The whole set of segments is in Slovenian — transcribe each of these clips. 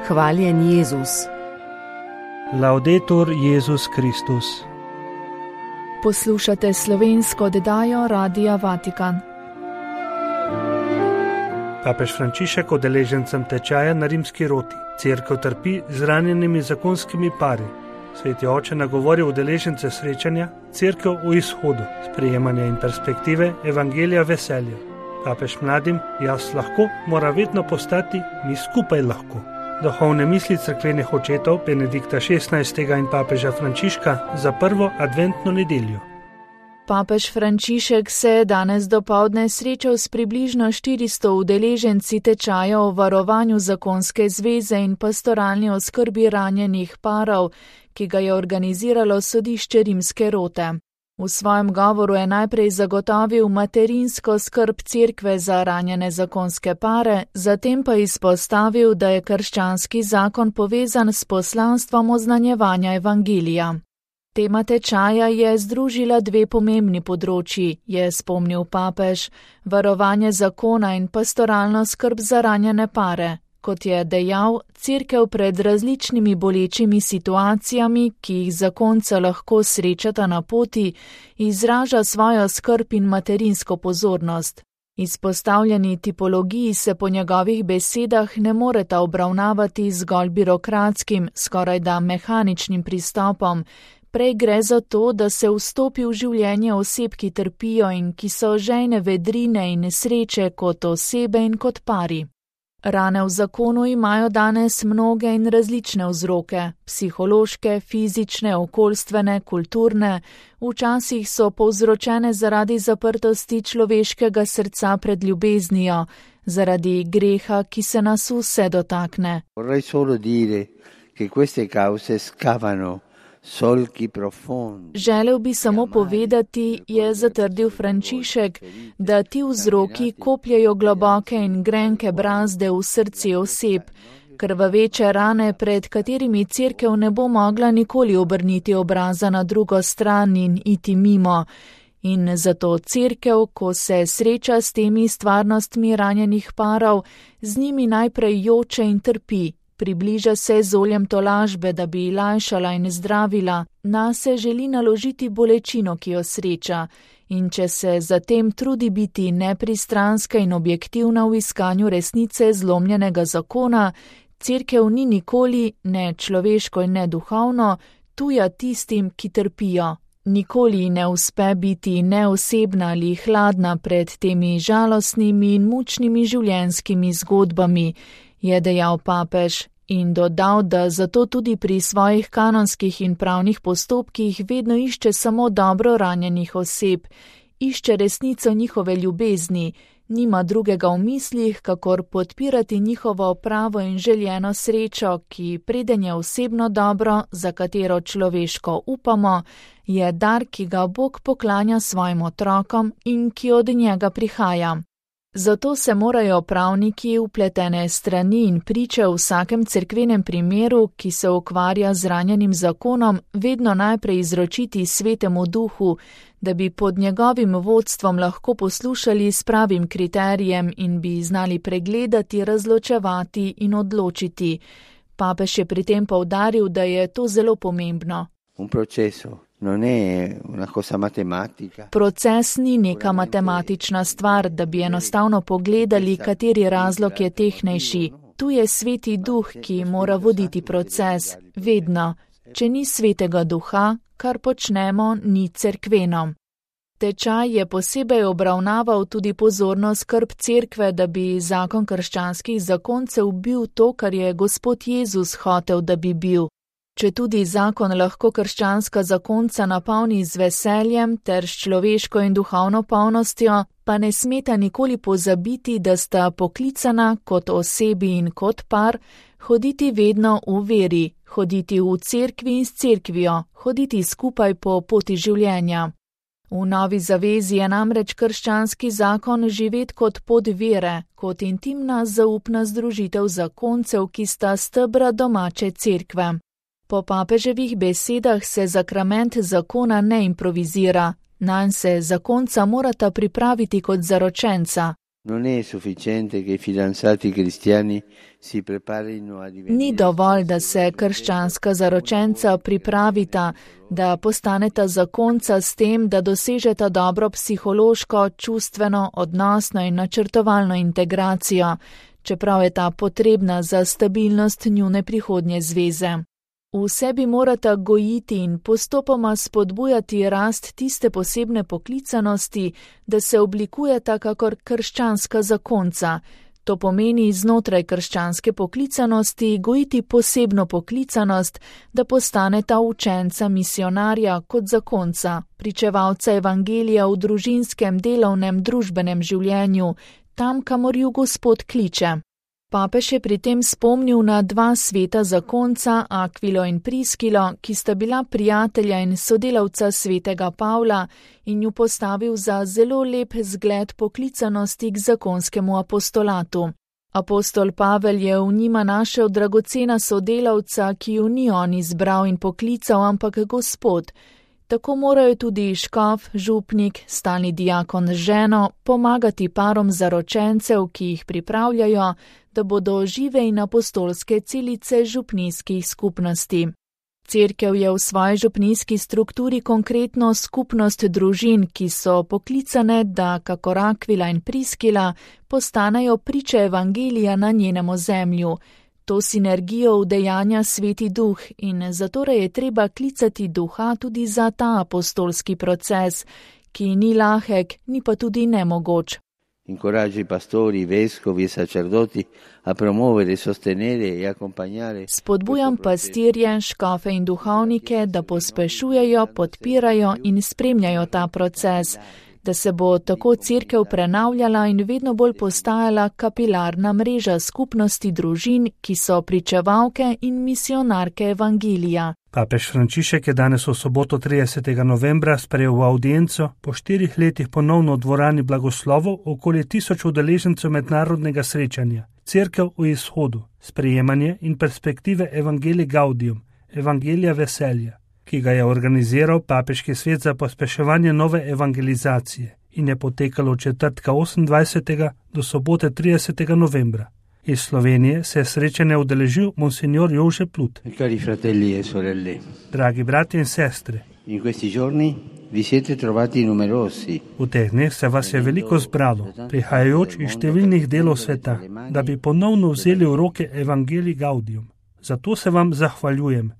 Hvaljen Jezus. Laudetur Jezus Kristus. Poslušate slovensko oddajo Radia Vatikan. Papež Frančišek udeležencem tečaja na rimski roti. Cerkev trpi z ranjenimi zakonskimi pari. Sveti oče nagovori udeležence srečanja Cerkev v izhodu, sprejemanja in perspektive evangelija veselja. Papež mladim, jaz lahko, mora vedno postati mi skupaj lahko. Duhovne misli cerkvenih očetov Benedikta XVI. In papeža Frančiška za prvo adventno nedeljo. Papež Frančišek se je danes dopoldne srečal s približno 400 udeleženci tečaja o varovanju zakonske zveze in pastoralni oskrbi ranjenih parov, ki ga je organiziralo sodišče rimske rote. V svojem govoru je najprej zagotovil materinsko skrb cerkve za ranjene zakonske pare, zatem pa izpostavil, da je krščanski zakon povezan s poslanstvom oznanjevanja evangelija. Tema tečaja je združila dve pomembni področji, je spomnil papež, varovanje zakona in pastoralno skrb za ranjene pare. Kot je dejal, cerkev pred različnimi bolečimi situacijami, ki jih zakonca lahko srečata na poti, izraža svojo skrb in materinsko pozornost. Izpostavljeni tipologiji se po njegovih besedah ne moreta obravnavati zgolj birokratskim, skorajda mehaničnim pristopom. Prej gre za to, da se vstopi v življenje oseb, ki trpijo in ki so žejne vedrine in nesreče kot osebe in kot pari. Rane v zakonu imajo danes mnoge in različne vzroke, psihološke, fizične, okoljstvene, kulturne, včasih so povzročene zaradi zaprtosti človeškega srca pred ljubeznijo, zaradi greha, ki se nas vse dotakne. Vorrei solo dire che queste cause scavano. Želel bi samo povedati, je zatrdil Frančišek, da ti vzroki kopljejo globoke in grenke brazde v srce oseb, krvaveče rane, pred katerimi cerkev ne bo mogla nikoli obrniti obraza na drugo stran in iti mimo. In zato cerkev, ko se sreča s temi stvarnostmi ranjenih parov, z njimi najprej joče in trpi. Približa se z oljem tolažbe, da bi lajšala in zdravila, nase želi naložiti bolečino, ki jo sreča, in če se zatem trudi biti nepristranska in objektivna v iskanju resnice zlomljenega zakona, cerkev ni nikoli, ne človeško in ne duhovno, tuja tistim, ki trpijo. Nikoli ne uspe biti neosebna ali hladna pred temi žalostnimi in mučnimi življenjskimi zgodbami, je dejal papež in dodal, da zato tudi pri svojih kanonskih in pravnih postopkih vedno išče samo dobro ranjenih oseb, išče resnico njihove ljubezni, nima drugega v mislih, kakor podpirati njihovo pravo in željeno srečo, ki preden je osebno dobro, za katero človeško upamo, je dar, ki ga Bog poklanja svojim otrokom in ki od njega prihaja. Zato se morajo pravniki, vpletene strani in priče v vsakem cerkvenem primeru, ki se ukvarja z ranjenim zakonom, vedno najprej izročiti Svetemu Duhu, da bi pod njegovim vodstvom lahko poslušali s pravim kriterijem in bi znali pregledati, razločevati in odločiti. Papež je pri tem poudaril, da je to zelo pomembno. Proces ni neka matematična stvar, da bi enostavno pogledali, kateri razlog je tehnejši. Tu je Sveti Duh, ki mora voditi proces, vedno. Če ni Svetega Duha, kar počnemo, ni cerkveno. Tečaj je posebej obravnaval tudi pozorno skrb cerkve, da bi zakon krščanskih zakoncev bil to, kar je Gospod Jezus hotel, da bi bil. Če tudi zakon lahko krščanska zakonca napolni z veseljem ter s človeško in duhovno polnostjo, pa ne smeta nikoli pozabiti, da sta poklicana kot osebi in kot par, hoditi vedno v veri, hoditi v cerkvi in s cerkvijo, hoditi skupaj po poti življenja. V Novi zavezi je namreč krščanski zakon živet kot pot vere, kot intimna zaupna združitev zakoncev, ki sta stebra domače cerkve. Po papeževih besedah se zakrament zakona ne improvizira, nanj se zakonca morata pripraviti kot zaročenca. Ni dovolj, da se krščanska zaročenca pripravita, da postaneta zakonca s tem, da dosežeta dobro psihološko, čustveno, odnosno in načrtovalno integracijo, čeprav je ta potrebna za stabilnost njune prihodnje zveze. V sebi morata gojiti in postopoma spodbujati rast tiste posebne poklicanosti, da se oblikujeta kakor krščanska zakonca. To pomeni znotraj krščanske poklicanosti gojiti posebno poklicanost, da postaneta učenca misionarja kot zakonca, pričevalca evangelija v družinskem, delovnem, družbenem življenju, tam, kamor ju Gospod kliče. Papež je pri tem spomnil na dva sveta zakonca, Akvilo in Priskilo, ki sta bila prijatelja in sodelavca svetega Pavla in ju postavil za zelo lep zgled poklicanosti k zakonskemu apostolatu. Apostol Pavel je v njima našel dragocena sodelavca, ki ju ni on izbral in poklical, ampak Gospod. Tako morajo tudi škof, župnik, stalni diakon z ženo pomagati parom zaročencev, ki jih pripravljajo, da bodo žive in apostolske celice župnijskih skupnosti. Cerkev je v svoji župnijski strukturi konkretno skupnost družin, ki so poklicane, da, kakor Akvila in Priskila, postanejo priče evangelija na njenem ozemlju. To sinergijo udejanja Sveti Duh in zatorej je treba klicati Duha tudi za ta apostolski proces, ki ni lahek, ni pa tudi nemogoč. Incoraggia i pastori, i vescovi e sacerdoti a promuovere, sostenere e accompagnare. Spodbujam pastirje, škofe in duhovnike, da pospešujejo, podpirajo in spremljajo ta proces, da se bo tako cerkev prenavljala in vedno bolj postajala kapilarna mreža skupnosti družin, ki so pričevalke in misionarke evangelija. Papež Frančišek je danes v soboto 30. novembra sprejel v audienco po 4 letih ponovno v dvorani blagoslovov okoli 1000 udeležencev mednarodnega srečanja Cerkev v izhodu, sprejemanje in perspektive Evangelii Gaudium, Evangelija veselja, ki ga je organiziral Papeški svet za pospeševanje nove evangelizacije in je potekalo od četrtka 28. do sobote 30. novembra. Iz Slovenije se je srečanje udeležil monsignor Jože Plut. Cari fratelli e sorelle. Dragi bratje in sestre. In questi giorni vi siete trovati numerosi. V teh dneh se vas je veliko zbralo, prihajajoč iz številnih delov sveta, da bi ponovno vzeli v roke Evangelii Gaudium. Zato se vam zahvaljujem.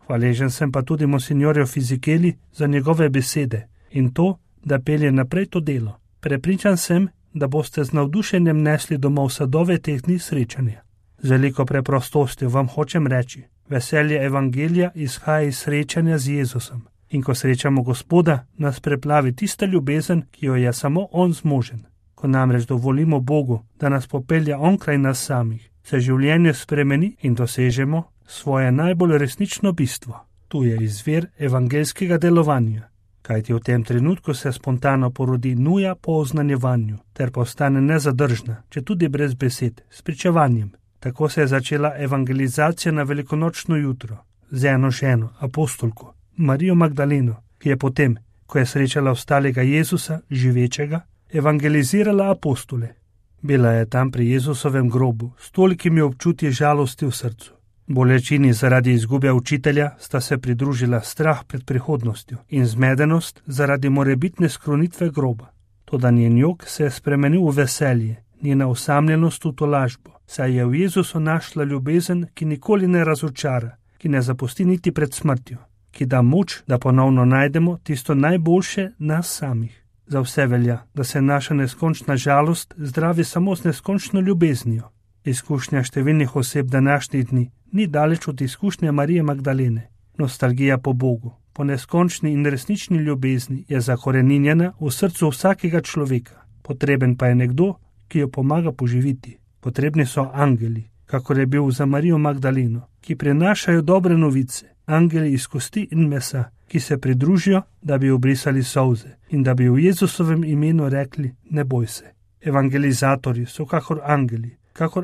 Hvaležen sem pa tudi monsignorju Fizikeli za njegove besede in to, da pelje naprej to delo. Prepričan sem, da boste z navdušenjem nesli domov sadove teh dni srečanja. Z veliko preprostostjo vam hočem reči, veselje evangelija izhaja iz srečanja z Jezusom. In ko srečamo Gospoda, nas preplavi tista ljubezen, ki jo je samo On zmožen. Ko namreč dovolimo Bogu, da nas popelja onkraj nas samih, se življenje spremeni in dosežemo svoje najbolj resnično bistvo. Tu je izvir evangelskega delovanja. Kajti v tem trenutku se spontano porodi nuja po oznanjevanju, ter postane nezadržna, če tudi brez besed, s pričevanjem. Tako se je začela evangelizacija na velikonočno jutro, z eno ženo, apostolko, Marijo Magdaleno, ki je potem, ko je srečala ostalega Jezusa, živečega, evangelizirala apostole. Bila je tam pri Jezusovem grobu, s tolikimi občutji žalosti v srcu. Bolečini zaradi izgube učitelja sta se pridružila strah pred prihodnostjo in zmedenost zaradi morebitne skrunitve groba. Toda njen jok se je spremenil v veselje, njena osamljenost v tolažbo, saj je v Jezusu našla ljubezen, ki nikoli ne razočara, ki ne zapusti niti pred smrtjo, ki da moč, da ponovno najdemo tisto najboljše nas samih. Za vse velja, da se naša neskončna žalost zdravi samo z neskončno ljubeznijo. Izkušnja številnih oseb današnjih dni ni daleč od izkušnje Marije Magdalene. Nostalgija po Bogu, po neskončni in resnični ljubezni je zakoreninjena v srcu vsakega človeka. Potreben pa je nekdo, ki jo pomaga poživiti. Potrebni so angeli, kakor je bil za Marijo Magdaleno, ki prinašajo dobre novice, angeli iz kosti in mesa, ki se pridružijo, da bi obrisali solze in da bi v Jezusovem imenu rekli: ne boj se. Evangelizatorji so kakor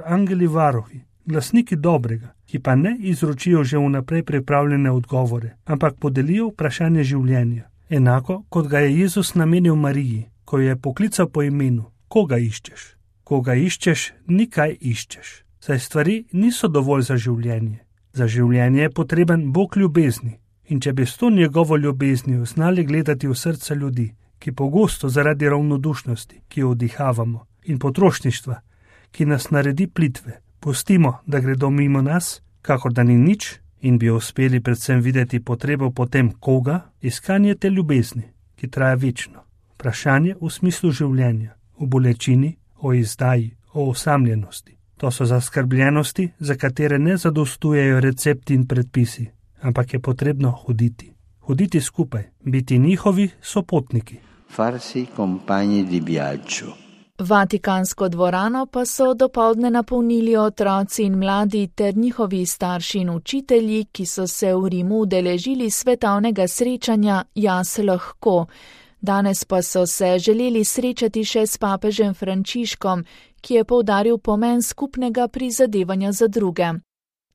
angeli varohi, glasniki dobrega, ki pa ne izročijo že vnaprej pripravljene odgovore, ampak podelijo vprašanje življenja, enako kot ga je Jezus namenil Mariji, ko je poklical po imenu: koga iščeš? Koga iščeš, nikaj iščeš. Saj stvari niso dovolj za življenje. Za življenje je potreben Bog ljubezni. In če bi s to njegovo ljubeznijo znali gledati v srca ljudi, ki pogosto zaradi ravnodušnosti, ki jo vdihavamo, in potrošništva, ki nas naredi plitve, pustimo, da gredo mimo nas, kakor da ni nič, in bi uspeli predvsem videti potrebo potem koga, iskanje te ljubezni, ki traja večno. Vprašanje v smislu življenja, v bolečini, o izdaji, o osamljenosti. To so zaskrbljenosti, za katere ne zadostujejo recepti in predpisi, ampak je potrebno hoditi. Hoditi skupaj, biti njihovi sopotniki. Farsi compagni di viaggio. Vatikansko dvorano pa so dopoldne napolnili otroci in mladi ter njihovi starši in učitelji, ki so se v Rimu udeležili svetovnega srečanja Jaz lahko. Danes pa so se želeli srečati še s papežem Frančiškom, ki je poudaril pomen skupnega prizadevanja za druge.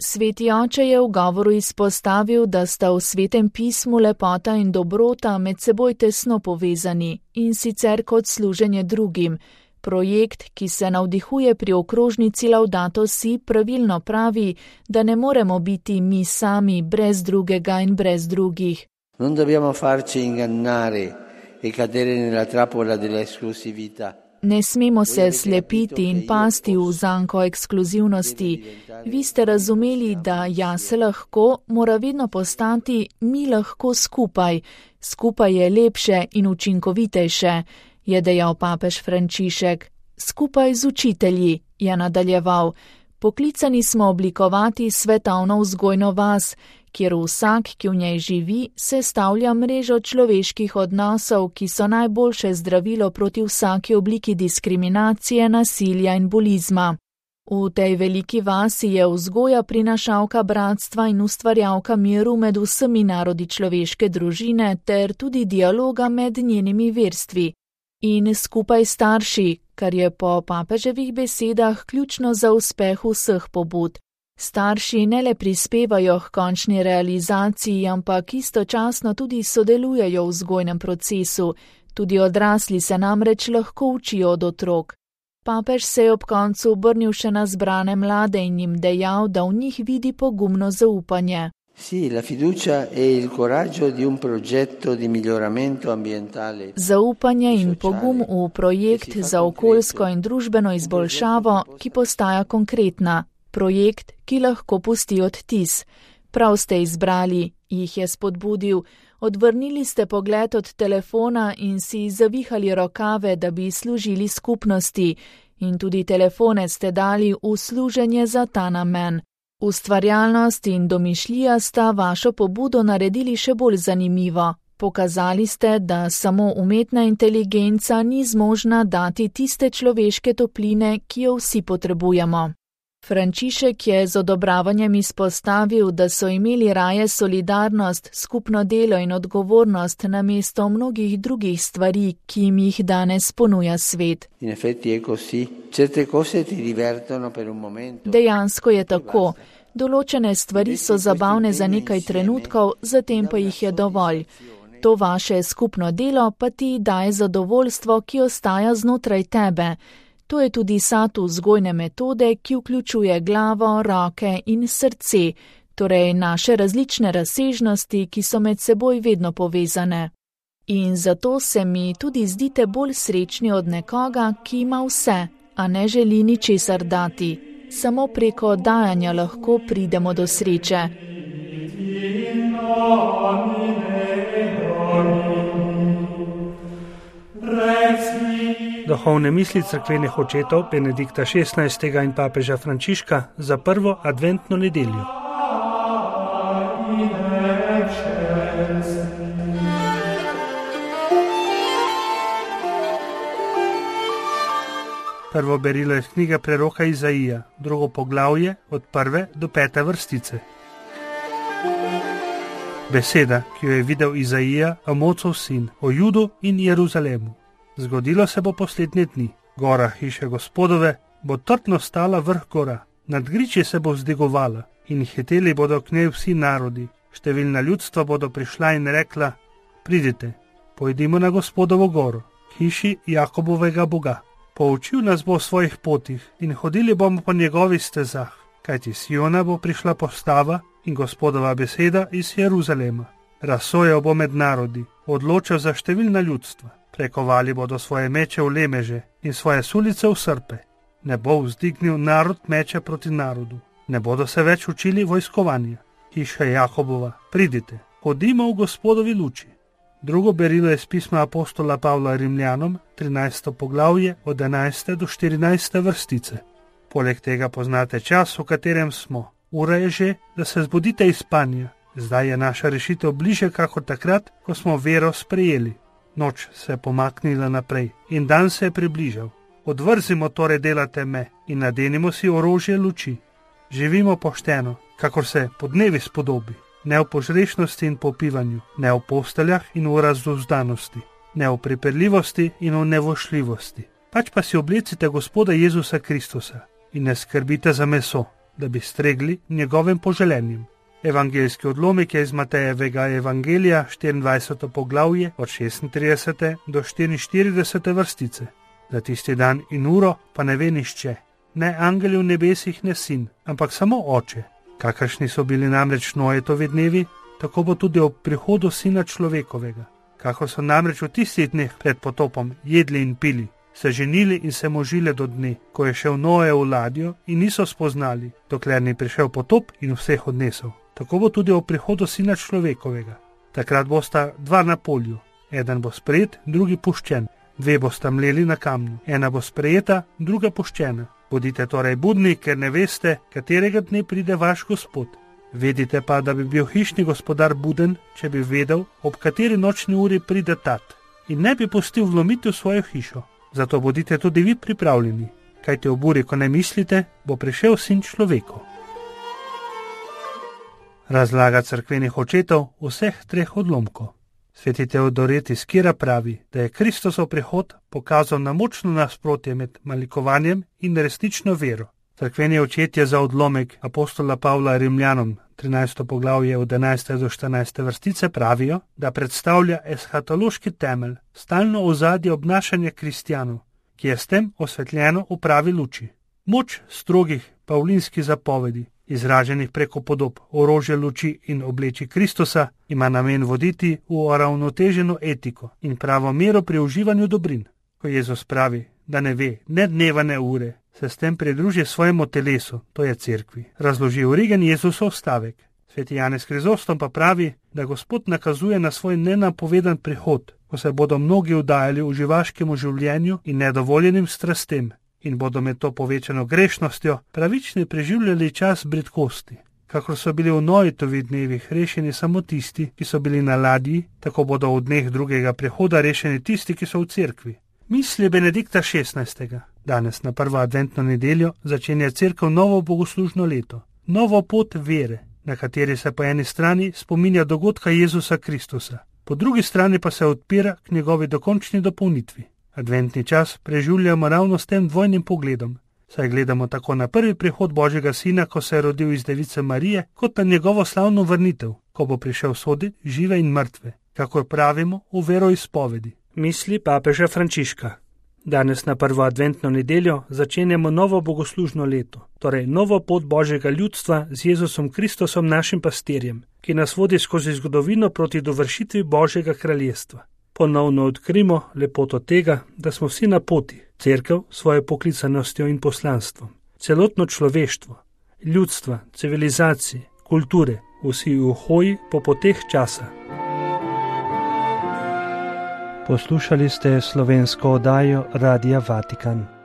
Sveti oče je v govoru izpostavil, da sta v Svetem pismu lepota in dobrota med seboj tesno povezani, in sicer kot služenje drugim. Projekt, ki se navdihuje pri okrožnici Laudato Si, pravilno pravi, da ne moremo biti mi sami brez drugega in brez drugih. Non dobbiamo farci ingannare e cadere nella trappola dell'esclusività. Ne smemo se slepiti in pasti v zanko ekskluzivnosti. Vi ste razumeli, da jaz lahko mora vedno postati mi lahko skupaj. Skupaj je lepše in učinkovitejše, je dejal papež Frančišek. Skupaj z učitelji, je nadaljeval. Poklicani smo oblikovati svetovno vzgojno vas, kjer vsak, ki v njej živi, sestavlja mrežo človeških odnosov, ki so najboljše zdravilo proti vsaki obliki diskriminacije, nasilja in bolizma. V tej veliki vasi je vzgoja prinašalka bratstva in ustvarjalka miru med vsemi narodi človeške družine ter tudi dialoga med njenimi verstvi. In skupaj starši, kar je po papeževih besedah ključno za uspeh vseh pobud. Starši ne le prispevajo k končni realizaciji, ampak istočasno tudi sodelujejo v vzgojnem procesu. Tudi odrasli se namreč lahko učijo od otrok. Papež se je ob koncu obrnil še na zbrane mlade in jim dejal, da v njih vidi pogumno zaupanje. Zaupanje in pogum v projekt za okoljsko in družbeno izboljšavo, ki postaja konkretna. Projekt, ki lahko pusti odtis. Prav ste izbrali, jih je spodbudil. Odvrnili ste pogled od telefona in si zavihali rokave, da bi služili skupnosti. In tudi telefone ste dali v služenje za ta namen. Ustvarjalnost in domišljija sta vašo pobudo naredili še bolj zanimivo. Pokazali ste, da samo umetna inteligenca ni zmožna dati tiste človeške topline, ki jo vsi potrebujemo. Frančišek je z odobravanjem izpostavil, da so imeli raje solidarnost, skupno delo in odgovornost namesto mnogih drugih stvari, ki jim jih danes ponuja svet. Dejansko je tako. Določene stvari so zabavne za nekaj trenutkov, zatem pa jih je dovolj. To vaše skupno delo pa ti daje zadovoljstvo, ki ostaja znotraj tebe. To je tudi sad vzgojne metode, ki vključuje glavo, roke in srce, torej naše različne razsežnosti, ki so med seboj vedno povezane. In zato se mi tudi zdite bolj srečni od nekoga, ki ima vse, a ne želi ničesar dati. Samo preko dajanja lahko pridemo do sreče. Duhovne misli cerkvenih očetov Benedikta XVI. In papeža Frančiška za prvo adventno nedeljo. Prvo berilo je knjiga preroka Izaija, drugo poglavje od 1. do 5. vrstice. Beseda, ki jo je videl Izaija, Amocov sin, o Judu in Jeruzalemu. Zgodilo se bo poslednje dni. Gora hiše Gospodove bo trdno stala vrh gora, nad griči se bo vzdigovala in hiteli bodo k njej vsi narodi. Številna ljudstva bodo prišla in rekla: pridite, pojdimo na Gospodovo goro, k hiši Jakobovega Boga. Poučil nas bo v svojih potih in hodili bomo po njegovih stezah, kajti s Siona bo prišla postava in Gospodova beseda iz Jeruzalema. Razsojal bo med narodi, odločal za številna ljudstva. Prekovali bodo svoje meče v lemeže in svoje sulice v srpe. Ne bo vzdignil narod meče proti narodu. Ne bodo se več učili vojskovanja. Hiša Jakobova, pridite, hodimo v Gospodovi luči. Drugo berilo je z pisma apostola Pavla Rimljanom, 13. poglavje od 11. do 14. vrstice. Poleg tega poznate čas, v katerem smo. Ura je že, da se zbudite iz spanja. Zdaj je naša rešitev bliže kakor takrat, ko smo vero sprejeli. Noč se je pomaknila naprej in dan se je približal. Odvrzimo torej dela teme in nadenimo si orožje luči. Živimo pošteno, kakor se podnevi spodobi. Ne v požrešnosti in popivanju, ne v posteljah in v razduzdanosti, ne v pripeljivosti in v nevošljivosti. Pač pa si oblecite Gospoda Jezusa Kristusa in ne skrbite za meso, da bi stregli njegovim poželenjem. Evangeljski odlomek je iz Matejevega evangelija, 24. poglavje, od 36. do 44. vrstice. Za tisti dan in uro pa ne ve nihče, ne angeli v nebesih, ne sin, ampak samo Oče. Kakršni so bili namreč Noetovi dnevi, tako bo tudi ob prihodu Sina človekovega. Kako so namreč v tistih dneh pred potopom jedli in pili, se ženili in se možile do dne, ko je šel Noe v ladjo in niso spoznali, dokler ni prišel potop in vseh odnesel. Tako bo tudi ob prihodu Sina človekovega. Takrat bosta dva na polju, eden bo sprejet, drugi puščen. Dve bosta mleli na kamnu, ena bo sprejeta, druga puščena. Bodite torej budni, ker ne veste, katerega dne pride vaš Gospod. Vedite pa, da bi bil hišni gospodar buden, če bi vedel, ob kateri nočni uri pride tat, in ne bi pustil vlomiti v svojo hišo. Zato bodite tudi vi pripravljeni, kajti ob uri, ko ne mislite, bo prišel Sin človekov. Razlaga cerkvenih očetov vseh treh odlomkov. Sveti Teodoret iz Kira pravi, da je Kristusov prihod pokazal na močno nasprotje med malikovanjem in resnično vero. Cerkveni očetje za odlomek apostola Pavla Rimljanom, 13. poglavje od 11. do 14. vrstice pravijo, da predstavlja eshatološki temelj, stalno ozadje obnašanja kristjanov, ki je s tem osvetljeno v pravi luči. Moč strogih pavlinskih zapovedi, izraženih preko podob orožja luči in obleči Kristusa, ima namen voditi v uravnoteženo etiko in pravo mero pri uživanju dobrin. Ko Jezus pravi, da ne ve ne dneva ne ure, se s tem pridruži svojemu telesu, to je cerkvi. Razloži Origen Jezusov stavek. Sveti Janez Krizostom pa pravi, da Gospod nakazuje na svoj nenapovedan prihod, ko se bodo mnogi vdajali v živaškemu življenju in nedovoljenim strastem, in bodo med to povečano grešnostjo pravični preživljali čas bridkosti. Kakor so bili v Noetovih dnevih rešeni samo tisti, ki so bili na ladji, tako bodo v dneh drugega prihoda rešeni tisti, ki so v cerkvi. Misli Benedikta XVI. Danes na prvo adventno nedeljo začenja cerkev novo bogoslužno leto, novo pot vere, na kateri se po eni strani spominja dogodka Jezusa Kristusa, po drugi strani pa se odpira k njegovi dokončni dopolnitvi. Adventni čas preživljamo ravno s tem dvojnim pogledom, saj gledamo tako na prvi prihod Božjega Sina, ko se je rodil iz Device Marije, kot na njegovo slavno vrnitev, ko bo prišel soditi žive in mrtve, kakor pravimo v veroizpovedi. Misli papeža Frančiška. Danes na prvo adventno nedeljo začenjamo novo bogoslužno leto, torej novo pot Božjega ljudstva z Jezusom Kristusom našim pastirjem, ki nas vodi skozi zgodovino proti dovršitvi Božjega kraljestva. Ponovno odkrimo lepoto tega, da smo vsi na poti, cerkev svojo poklicanostjo in poslanstvom, celotno človeštvo, ljudstva, civilizacije, kulture, vsi v hoji po poteh časa. Poslušali ste slovensko oddajo Radia Vatikan.